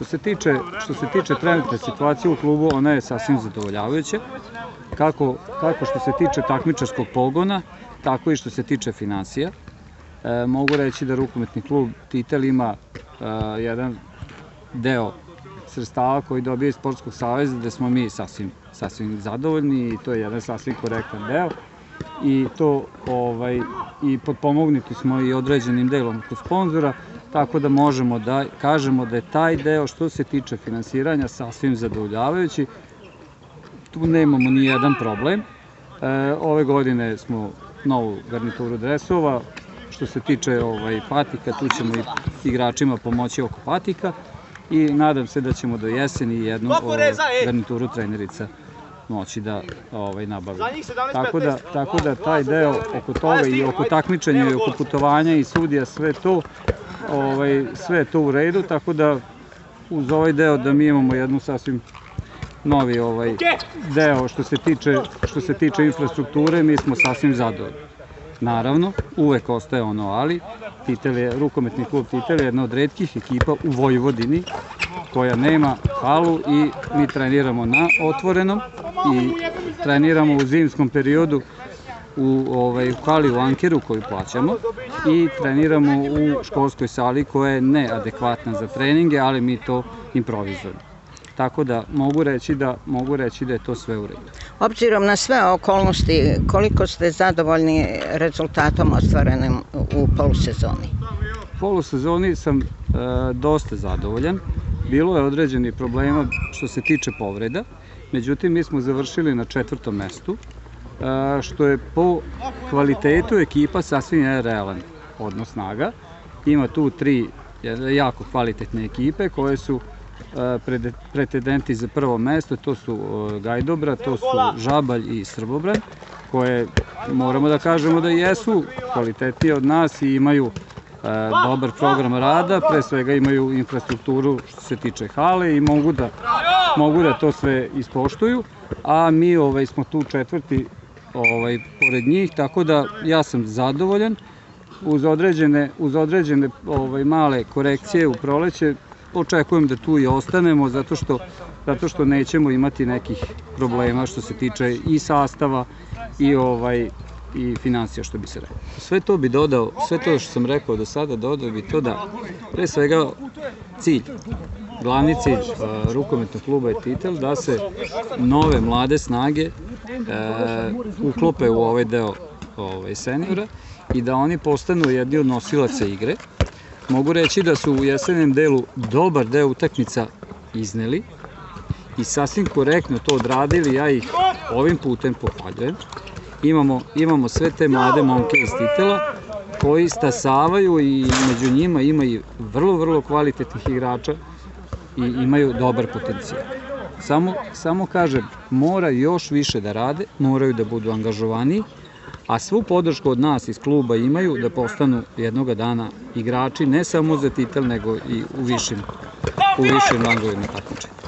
Što se tiče trenutne situacije u klubu, ona je sasvim zadovoljavajuća, kako što se tiče takmičarskog pogona, tako i što se tiče finansija. Mogu reći da rukometni klub Titel ima jedan deo sredstava koji dobije iz Sportskog saveza, gde smo mi sasvim zadovoljni i to je jedan sasvim korektan deo. I potpomognuti smo i određenim delom kod sponzora, tako da možemo da kažemo da je taj deo što se tiče finansiranja sasvim zadovoljavajući. Tu nemamo ni jedan problem. Ove godine smo novu garnituru dresova. Što se tiče patika, tu ćemo i igračima pomoći oko patika i nadam se da ćemo do jeseni jednu garnituru trenerica moći da nabavimo. Tako da taj deo oko toga i oko takmičenja i oko putovanja i sudija, sve je to u redu, tako da uz ovaj deo da mi imamo jednu sasvim novi deo što se tiče infrastrukture, mi smo sasvim zadovoljni. Naravno, uvek ostaje ono ali, rukometni klub Titel je jedna od retkih ekipa u Vojvodini koja nema halu i mi treniramo na otvorenom i treniramo u zimskom periodu u hali u Ankeru koju plaćamo i treniramo u školskoj sali koja je neadekvatna za treninge, ali mi to improvizujemo. Tako da mogu reći da je to sve u redu. Obzirom na sve okolnosti, koliko ste zadovoljni rezultatom ostvarenim u polusezoni? U polusezoni sam dosta zadovoljan. Bilo je određenih problema što se tiče povreda, međutim mi smo završili na 4. mestu, što je po kvalitetu ekipa sasvim jedan realan odnos snaga. Ima tu 3 jako kvalitetne ekipe koje su pretendenti za prvo mesto, to su Gajdobra, to su Žabalj i Srbobran, koje moramo da kažemo da jesu kvalitetnije od nas i imaju dobar program rada, pre svega imaju infrastrukturu što se tiče hale i mogu da to sve ispoštuju, a mi smo tu 4. pored njih, tako da ja sam zadovoljan. Uz određene male korekcije u proleće očekujem da tu i ostanemo zato što nećemo imati nekih problema što se tiče i sastava i finansija, što bi se rekao. Sve to bi dodao, sve to što sam rekao do sada, dodao bi to da pre svega glavni cilj rukometnog kluba je Titel da se nove mlade snage uklope u ovaj deo seniora i da oni postanu jedni od nosilaca igre. Mogu reći da su u jesenjem delu dobar deo utakmica izneli i sasvim korektno to odradili, ja ih ovim putem pohvaljujem. Imamo sve te mlade momke iz Titela koji stasavaju i među njima ima i vrlo kvalitetnih igrača i imaju dobar potencijal. Samo kažem, mora još više da rade, moraju da budu angažovaniji, a svu podršku od nas iz kluba imaju da postanu jednoga dana igrači ne samo za Titel, nego i u višim rangovima takmičenja.